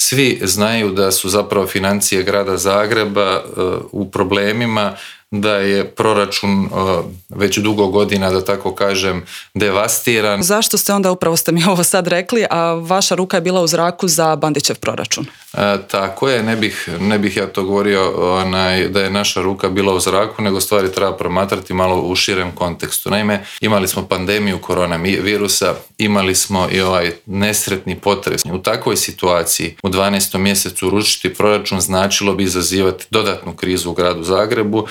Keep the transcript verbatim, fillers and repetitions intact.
Svi znaju da su zapravo financije grada Zagreba u problemima, da je proračun već dugo godina, da tako kažem, devastiran. Zašto ste onda, upravo ste mi ovo sad rekli, a vaša ruka je bila u zraku za Bandićev proračun? E, tako je, ne bih, ne bih ja to govorio onaj, da je naša ruka bila u zraku, nego stvari treba promatrati malo u širem kontekstu. Naime, imali smo pandemiju koronavirusa, imali smo i ovaj nesretni potres. U takvoj situaciji u dvanaestom mjesecu uručiti proračun značilo bi izazivati dodatnu krizu u gradu Zagrebu